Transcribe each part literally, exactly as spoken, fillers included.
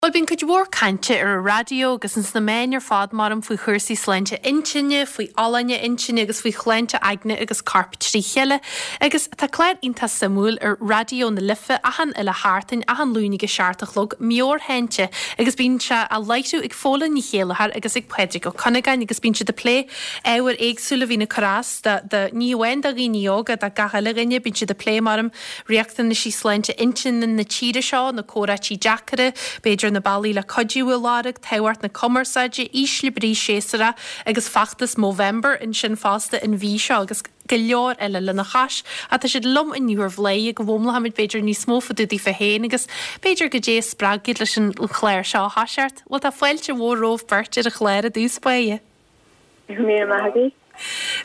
Bhuel, bíonn cuid mhór cainte ar an raidió agus ins na meáin ar fad maram faoi chúrsaí sláinte intinne, faoi fholláine intinne agus faoi shláinte aigne agus coirp trí chéile. Agus tá clár iontach suimiúil ar Raidió na Life achan uile sheachtain, achan Luan ag a seacht a chlog, Meabhairshláinte, agus bíonn sé á láithriú ag Fódhla Ní Chéilleachair agus ag Pádraig Ó Cuinneagáin agus bíonn siad ag plé ábhair éagsúla a bhíonn ag cur as do, do, ní amháin do dhaoine óga, do gach uile dhuine, bíonn siad ag plé maram riachtanaisí sláinte intinne na tíre seo, na comhráití deacra, b'fhéidir na bealaí le cuidiú a lorg, tábhacht na cumarsáide, ísle brí séasúrach agus feachtas Movember ansin fosta an mhí seo agus go leor eile lena chois. Ach tá siad liom inniu ar Bhladhaire go bhfoghlaimeoimid b'fhéidir níos mó fá dtaobh daofa féin agus b'fhéidir goidé a spreag iad leis an chlár seo a thoiseacht. Bhuel tá fáilte mhór romhaibh beirt ar an chlár i dtús báire. Míle maith agat.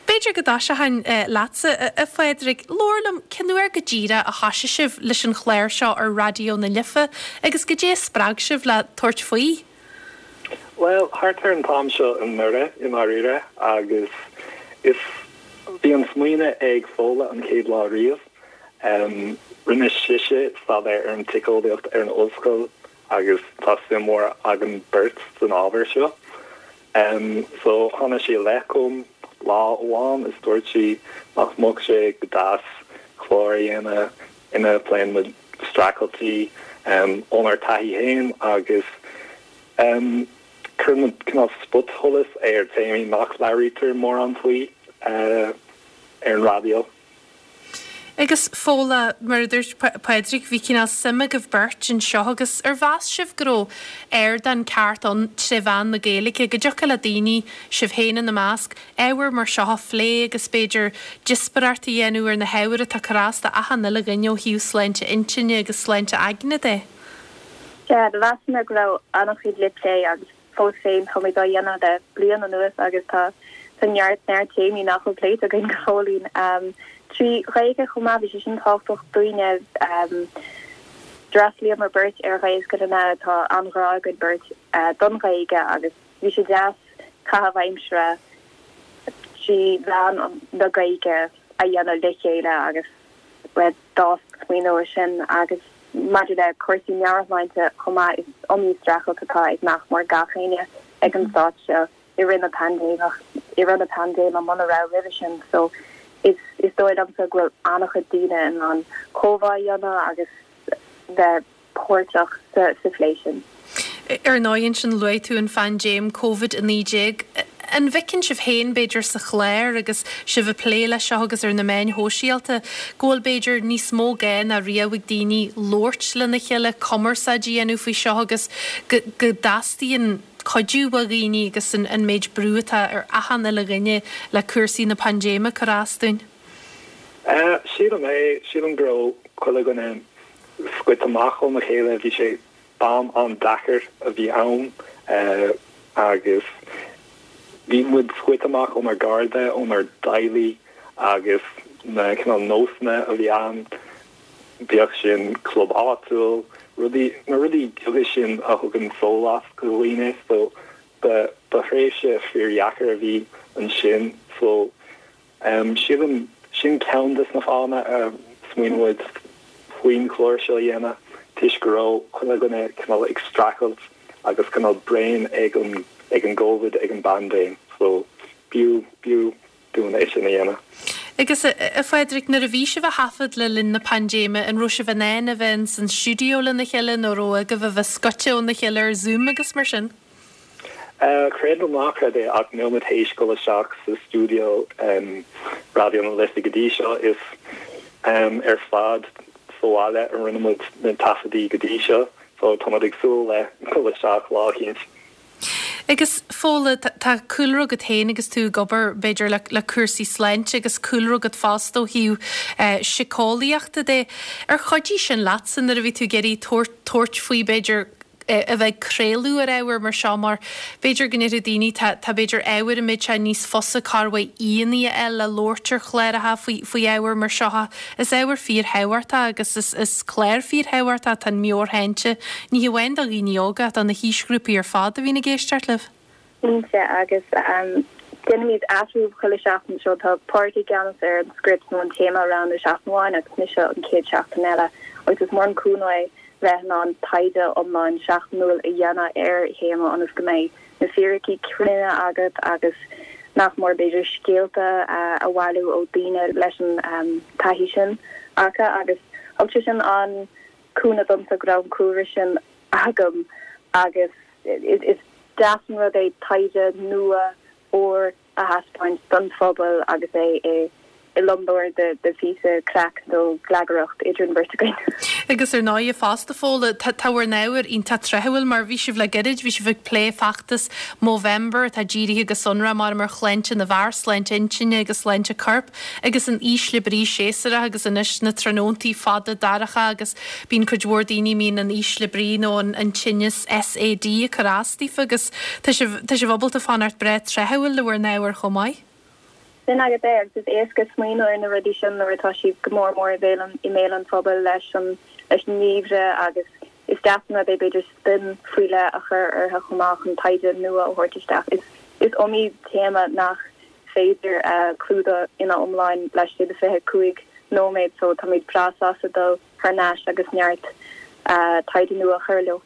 B'fhéidir go dtoiseochainn leatsa, a Phádraig. Labhair liom, cén uair go díreach a thoisigh sibh leis an chlár seo ar Raidió na Life agus goidé a spreag sibh le tabhairt faoi? Bhuel, thart ar an t-am seo anuraidh, i ndáiríre, agus is bhí an smaoineamh ag Fódhla an chéad lá riamh. Rinne sise staidéar ar an tsíceolaíocht ar an ollscoil agus tá suim mhór againn beirt san ábhar seo. So tháinig sí i leith chugam lá amháin is dúirt sí nach mbeadh sé go deas clár a dhéanamh ina bpléann muid streachailtí ónár taithí féin agus cuireann muid cineál spotsholas ar téamaí nach labhraítear mórán faoi ar an raidió. Agus Fódhla, mar a dúirt Pádraig, bhí cineál suim agaibh beirt anseo agus ar mheas sibh go raibh ardán ceart ann tré mheán na Gaeilge, go dtiocfadh le daoine, sibh féin ina measc, ábhair mar seo a phlé agus b'fhéidir díospóireacht a dhéanamh ar na hábhair atá ag cur as do achan uile dhuine ó thaobh sláinte intinne agus sláinte aigne de? Sea, do mheasamar go raibh an-chuid le plé agus fós féin táimid á dhéanamh le bliain anuas agus tá tá neart neart téamaí nach bhfuil pléite againn go fóillín. Trí Ghaeilge chomh maith, bhí sé sin tábhachtach dúinne. D'fhreastlaíomar beirt ar Ghaelscoileanna, tá an-ghrá againn beirt don Ghaeilge agus bhí sé deas caitheamh aimsire trí mheán na Gaeilge a dhéanamh le chéile agus d'fhás smaoineamh as sin agus maidir le cúrsaí meabhairshláinte chomh maith, is iomaí streachailt atá ag nach mór gach éinne ag an stát seo i rith na paindéimeach, i rith na paindéime muna raibh roimhe sin so is is dóigh liomsa go bhfuil an-chuid daoine in ann comhrá a dhéanamh agus bheith páirteach sa sa phlé sin. Ar ndóigh ansin luaigh tú an phaindéim Covid a naoi déag. An bhfeiceann sibh féin b'fhéidir sa chlár agus sibh ag plé leis seo agus ar na meáin shóisialta go bhfuil b'fhéidir níos mó gá ná riamh ag daoine labhairt lena chéile, cumarsáid a dhéanamh faoi seo agus go go dteastaíonn cuidiú ó dhaoine agus an an méid brú atá ar achan uile dhuine le cúrsaí na paindéime cur as dúinn? Sílim é, sílim go raibh chuile dhuine scoite amach óna chéile, bhí sé b'am an-deacair a bhí ann agus bhí muid scoite amach ónár gcairde, ónár dteaghlaigh agus na cineál nósanna a bhí ann, bíodh sin club áitiúil, rudaí, na rudaí beaga sin a thugann sólás do dhaoine so ba, ba thréimhse fíordheacair a bhí ansin so sílim, sin ceann de na fáthanna a smaoinigh muid faoin chlár seo a dhéanamh toisc go raibh chuile dhuine cineál ag streachailt agus cineál bréan ag an ag an gCovid, ag an bpaindéim so b'fhiú, b'fhiú dúinn é sin a dhéanamh. Agus a Phádraig, nuair a bhí sibh á thaifead le linn na paindéime, an raibh sibh in ann a bheith ins an stiúideo lena chéile nó raibh agaibh a bheith scoite óna chéile ar Zoom agus mar sin? Creid nó ná creid é ach níl muid théis dul isteach sa stiúideo Raidió na Life go dtí seo. Is ar fad sa bhaile a rinne muid na taifeadaí go dtí seo so tá muid ag súil le dul isteach lá eicínt. Agus Fódhla, tá cúlra agat féin agus tú ag obair b'fhéidir le le cúrsaí sláinte agus cúlra agat fosta ó thaobh síceolaíochta de. Ar chuidigh sin leatsa nuair a bhí tú ag iarraidh tabhairt tabhairt faoi b'fhéidir a bheith ag craoladh ar ábhar mar seo mar b'fhéidir go ndéarfadh daoine tá tá b'fhéidir ábhair a mbeadh sé níos fusa corrmhaith aíonna a fháil le labhairt ar chláracha faoi faoi ábhair mar seo. Is ábhar fíorthábhachtach agus is is clár fíorthábhachtach atá in Meabhairshláinte, ní hamháin do dhaoine óga ach do na haoisghrúpaí ar fad a bhíonn ag éisteacht libh. Cinnte, agus déanaimid athrú chuile seachtain so tá Pádraig i gceannas ar an script nó an téama a roghnú seachtain amháin agus mise an chéad seachtain eile agus is mór an cúnamh é bheith in ann taighde iomlán seachtainiúil a dhéanamh ar théama ionas go mbeidh na fíricí cruinne agat agus nach mór b'fhéidir scéalta a bhailiú ó daoine leis an taithí sin acu agus thug sé sin an-chúnamh domsa go raibh an cúlra sin agam agus is deas an rud é taighde nua úr a thaispeáint don phobal agus é i i lomlár de de phíosa craic nó glagaireacht idir an bheirt againn. Agus ar ndóigh fosta Fódhla tá bhur n-ábhar iontach tráthúil mar bhí sibh le gairid, bhí sibh ag plé feachtas Movember atá dírithe go sonrach mar ar shláinte na bhfear, sláinte intinne agus sláinte coirp agus an ísle brí séasúrach agus anois na tráthnóntaí fada dorcha agus bíonn cuid mhór daoine mbíonn an ísle brí nó an an tinneas SAD ag cur as daofa agus tá sibh tá sibh ábalta fanacht breá tráthúil le bhur n-ábhar chomh maith. Sin agat é agus is éasca smaoineamh ar na rudaí sin nuair atá siad go mór mór i mbéal an i mbéal an phobail leis an leis an ngeimhreadh agus is deas an rud é b'fhéidir spin faoi leith a chur orthu chomh maith chun taighde nua a thabhairt isteach. Is is iomaí téama nach féidir clúdach ina iomlán laistigh de fiche cúig nóiméad so táimid breá sásta dul thar n-ais agus neart taighde nua a chur leo.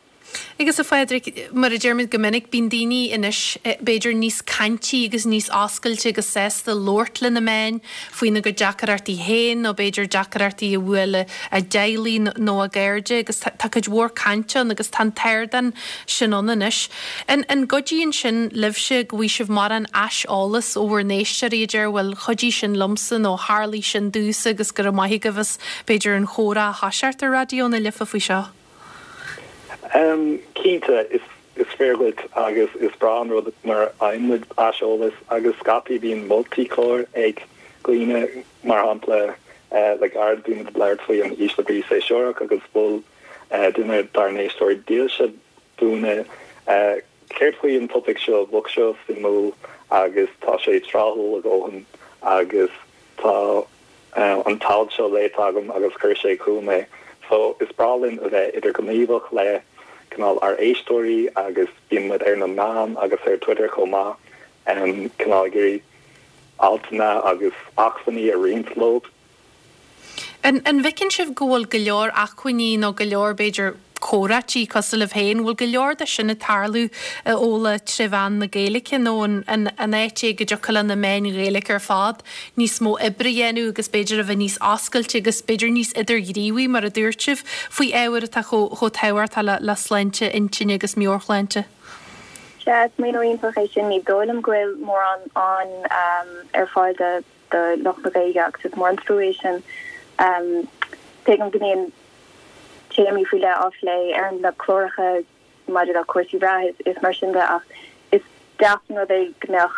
Agus a Phádraig, mar a deirimid go minic, bíonn daoine anois b'fhéidir níos caintí agus níos oscailte agus sásta labhairt le na meáin faoina gcuid deacrachtaí féin nó b'fhéidir deacrachtaí a bhuail a dteaghlaigh nó a gcairde agus tá cuid mhór cainte ann agus tá an t-ardán sin ann anois. An an gcuidíonn sin libhse go bhfaighidh sibh mórán aiseolas ó bhur n-éisteoirí a deir bhuel chuidigh sin liomsa nó tharlaigh sin domhsa agus go raibh maith agaibh as b'fhéidir an chomhrá a thoiseacht ar Raidió na Life faoi seo? Um, cinnte is is fíor duit agus is breá an rud nuair a fhaigheann muid aiseolas agus scaití bíonn moltaí clár ag daoine mar shampla uh, le gairid bhí muid ag labhairt faoi an ísle brí séasúrach agus mhol uh, duine dár n-éisteoirí dílse dúinn uh, céard faoi an topaic seo bheadh seo suimiúil agus tá sé tráthúil a dhóthain agus tá uh, an t-alt seo léite agam agus chuir sé chugam é. So is breá linn a bheith idirghníomhach le cineál ár n-éisteoirí agus bíonn muid ar na meáin agus ar Twitter chomh maith um, cineál ag iarraidh altanna agus acmhainní a roinnt leo. An an bhfeiceann sibh go bhfuil go leor acmhainní nó go leor b'fhéidir comhráití cosúil libh féin, bhfuil go leor de sin ag tarlú a Fhódhla trí mheán na Gaeilge nó an an an áit é go dtiocfadh le na meáin Ghaeilge ar fad níos mó oibre a dhéanamh agus b'fhéidir a bheith níos oscailte agus b'fhéidir níos idirghníomhaí mar a dúirt sibh faoi ábhar atá chomh chomh tábhachtach le le sláinte intinne agus meabhairshláinte. Sea, smaoineamh iontach é sin ní dóigh liom go bhfuil mórán an um, ar fáil do do lucht na Gaeilge agus is mór an trua é sin. Um, Tuigim go mbíonn téamaí faoi leith á phlé ar na cláracha maidir le cúrsaí reatha is, is mar sin de ach is deas an rud é go mbeadh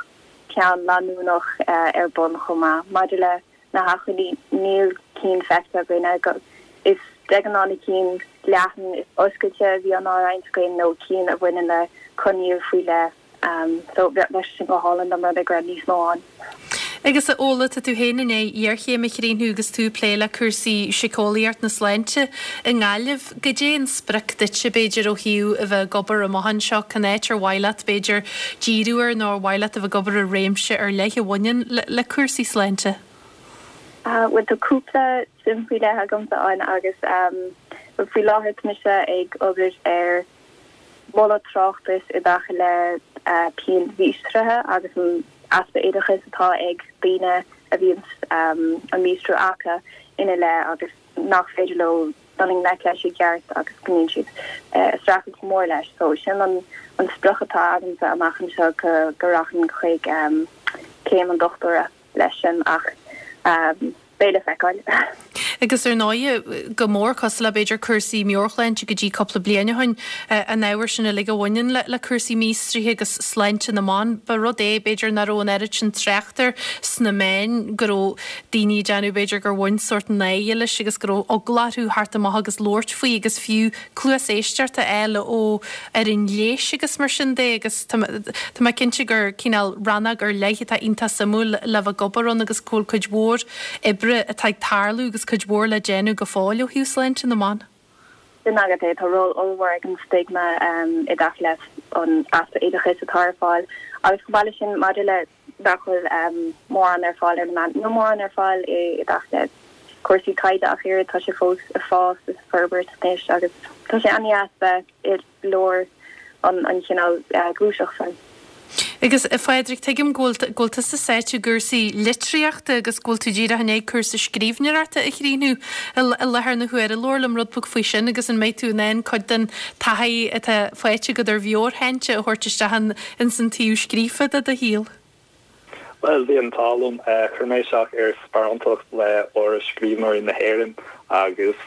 ceann leanúnach uh, ar bun chomh maith. Maidir le na hacmhainní níl cinn feicthe againn go is de ghnáth na cinn leathan is oscailte a bhíonn á roinnt againn nó cinn a bhaineann le coinníoll faoi leith. Um, so bheadh sin go hálainn dá mbeadh níos mó ann. Agus a Fhódhla tá tú féin i ndiaidh iarchéim a chríochnú agus tú ag plé le cúrsaí síceolaíocht na sláinte i nGaillimh, Goidé an sprioc duitse b'fhéidir ó thaobh a bheith ag obair amach anseo cén áit ar mhaith leat b'fhéidir díriú air nó ar mhaith leat a bheith ag obair i réimse ar leith a bhaineann le, le cúrsaí sláinte? Uh, well tá cúpla suim faoi leith agamsa ann agus um, faoi láthair tá mise ag obair ar moladh tráchtas i dtaca le uh, pian mhíostraithe agus an easpa oideachais atá ag daoine a bhíonn um, an míostrú acu ina leith agus nach féidir leo dul i ngleic leis i gceart agus go mbíonn siad uh, streachailt go mór leis. So sin an, an sprioc atá agamsa amach anseo go, go rachainn chuig um, céim an dochtúra leis sin ach um, beidh le feiceáil. Agus ar ndóigh go mór cosúil le b'fhéidir cúrsaí meabhairshláinte go dtí cúpla bliain ó shin an ábhar sin uilig a bhaineann le, le cúrsaí míostraithe agus sláinte na mban, ba rud é b'fhéidir nach raibh an oiread sin trácht air sna meáin go raibh daoine ag déanamh b'fhéidir gur bhain sórt náire leis agus go raibh eagla orthu theacht amach agus labhairt faoi agus fiú cluas éisteachta a fháil ó fhoireann leighis agus mar sin de agus tá mé cinnte gur cineál rannóg ar leith atá iontach suimiúil le bheith ag obair ann agus go bhfuil cuid mhór oibre atá ag tarlú agus cuid mhór le déanamh go fóill ó thaobh sláinte na mban. Sin agat é tá ról ollmhór ag an stigma um, i dtaca leis an easpa oideachais atá ar fáil agus chomh maith leis sin maidir le nach bhfuil um, mórán ar fáil ar na meáin nó mórán ar fáil i i dtaca le cúrsaí taighde ach oiread tá sé fós ag fás is forbairt anois agus tá sé an-deas bheith i lár an an chineál gluaiseacht sin. Agus a Phádraig, tuigim go bhfuil go bhfuil tusa sáite i gcúrsaí litríochta agus go bhfuil tú díreach i ndiaidh cúrsa scríbhneoireachta a chríochnú i láthair na huaire. Labhair liom rud beag faoi sin agus an mbeidh tú in ann cuid den taithí atá faighte agat ar mheabhairshláinte a thabhairt isteach in ins an taobh scríofa de do shaol? Well, bhí an t-ádh liom chuir mé isteach ar sparántacht le Áras Scríbhneoirí na hÉireann agus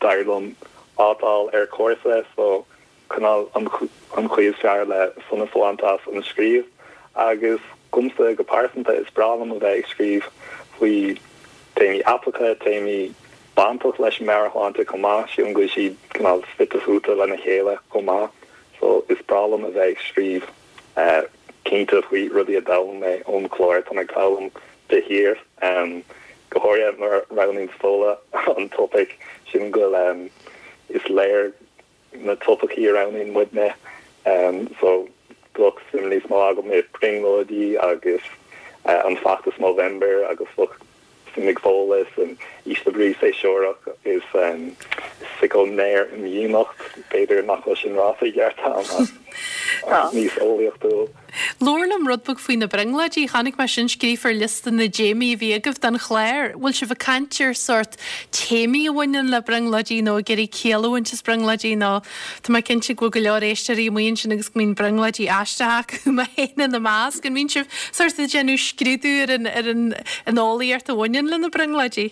d'éirigh liom áit a fháil ar chúrsa so cineál an chaoi is fearr le sonas a bhaint as an scríobh agus domsa go pearsanta is breá liom a bheith ag scríobh faoi téamaí aipeacha, téamaí bainteach leis an meabhairshláinte chomh maith, sílim go bhfuil siad cineál fite fuaite lena chéile chomh maith so is breá liom a bheith ag scríobh cinnte faoi rudaí a d'fhoghlaim mé ón chlár tá mé ag foghlaim de shíor go háirithe nuair a roghnaíonn Fódhla an topaic sin go bhfuil is léir na topaicí a roghnaíonn muidne so bheadh suim níos mó agam i brionglóidí agus an feachtas Movember agus bheadh suim ag Fódhla san ísle brí séasúrach is sícinéirimdhíonacht b'fhéidir nach bhfuil sin ráite i gceart ach níos eolaíochtúil. Labhair liom rud beag faoi na brionglóidí, chonaic mé sin scríofa ar liosta na dtéamaí a bhí agaibh don chlár. Bhfuil sibh ag caint ar sórt téamaí a bhaineann le brionglóidí nó ag iarraidh ciall a bhaint as brionglóidí nó tá mé cinnte go bhfuil go leor éisteoirí amuigh ansin agus go mbíonn brionglóidí aisteacha acu mé féin ina measc. An mbíonn sibh sórt ag déanamh scrúdú ar an ar an an eolaíocht a bhaineann le na brionglóidí?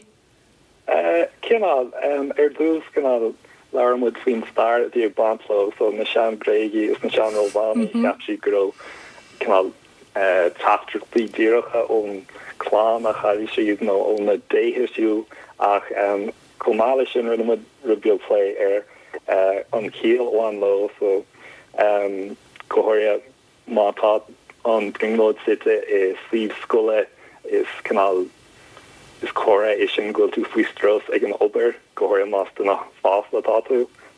Cineál ar dtús cineál labhair muid faoin stair a bhí ag baint leo so na sean Gréagaigh is na sean Rómhánaigh cheap siad go raibh cineál teachtaireachtaí díreacha ón clann a chaill siad nó ó na déithe fiú ach chomh maith leis sin rinne muid rud beag plé ar an chiall a bhain leo so go háirithe má tá an brionglóid suite i suíomh scoile is cineál is comhartha é sin go bhfuil tú faoi strus ag an obair go háirithe más duine fásta atá tú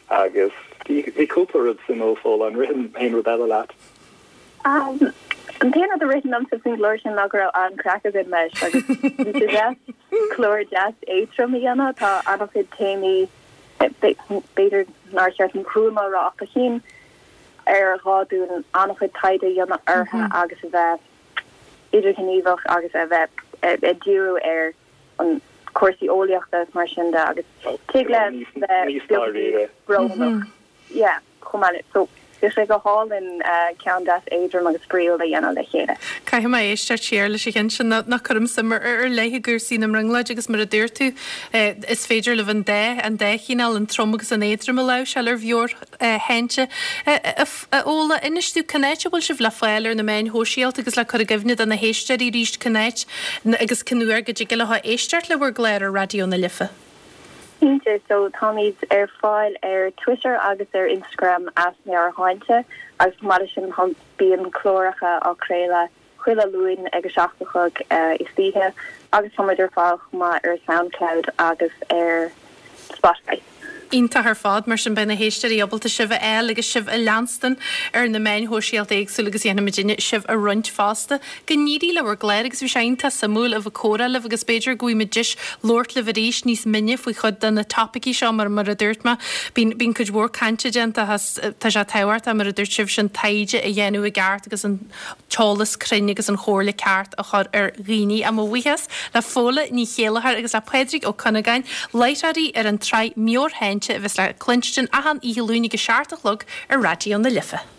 agus bhí cúpla rud suimiúil Fódhla an ritheann aon rud eile leat. Um, an t-aon rud a ritheann liomsa faoin gclár sin ná go raibh an-chraic againn leis agus bhí sé deas clár deas éadrom a dhéanamh tá an-chuid téamaí b'fhéidir nár cheart an cruama rá a chin ar ghá dúinn an-chuid taighde a dhéanamh orthu agus a bheith idirghníomhach agus a bheith ag díriú ar an cúrsaí eolaíochta is mar sin de agus tig le bheith brónach. Yeah, chomh maith so bhí sé go hálainn ceann deas éadrom agus spraíúil a dhéanamh le chéile. Caithfidh mé éisteacht siar leis an cheann sin nach cuirim suim ar ar leith i gcúrsaí na mbrionglóidí agus mar a dúirt tú is féidir libh an dá an dá chineál an trom agus an éadrom a láimhseáil ar mheabhairshláinte. A Fhódhla, inis dúinn cén áit a bhfuil sibh le fáil ar na meáin shóisialta agus le cur i gcuimhne do na héisteoirí arís cén áit agus cén uair go dtig leo éisteacht le bhur gclár ar Raidió na Life. Cinnte, so táimid ar fáil ar Twitter agus ar Instagram as Meabhairshláinte agus chomh maith leis sin bíonn cláracha á craoladh chuile Luan ag a seacht a chlog istoíche agus táimid ar fáil chomh maith ar SoundCloud agus ar Spotify. Iontach ar fad mar sin beidh na héisteoirí ábalta sibh a fháil agus sibh a leanstan ar na meáin shóisialta éagsúla agus dhéanfaimid duine sibh a roinnt fosta. Go n-éirí le bhur gclár agus bhí sé iontach suimiúil a bheith ag comhrá libh agus b'fhéidir go bhfaighimid deis labhairt libh arís níos mine faoi chuid de na topaicí seo mar mar a dúirt mé bíonn bíonn cuid mhór cainte déanta as tá sé tábhachtach mar a dúirt sibh sin taighde a dhéanamh i gceart agus an t-eolas cruinn agus an chomhairle ceart a chur ar dhaoine. Mo bhuíochas le Fódhla Ní Chéilleachair agus le Pádraig Ó Cuinneagáin, láithreoirí ar an tsraith Meabhairshláinte a bheas le cluinstin achan oíche Luain ag a seacht a chlog ar Raidió na Life.